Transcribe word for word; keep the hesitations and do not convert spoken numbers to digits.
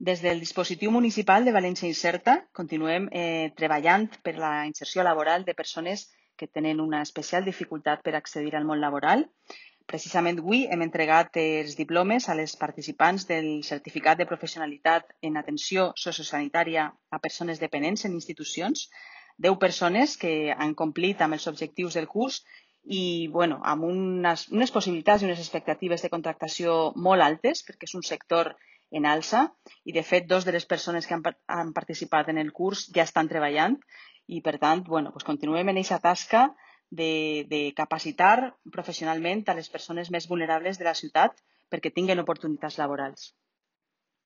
Des del dispositiu municipal de València Inserta continuem eh, treballant per la inserció laboral de persones que tenen una especial dificultat per accedir al món laboral. Precisament avui hem entregat els diplomes a les participants del certificat de professionalitat en atenció sociosanitària a persones dependents en institucions, deu persones que han complit amb els objectius del curs i bueno, amb unes, unes possibilitats i unes expectatives de contractació molt altes, perquè és un sector en alça i, de fet, dos de les persones que han, han participat en el curs ja estan treballant i, per tant, bueno, doncs continuem en aquesta tasca de, de capacitar professionalment a les persones més vulnerables de la ciutat perquè tinguen oportunitats laborals.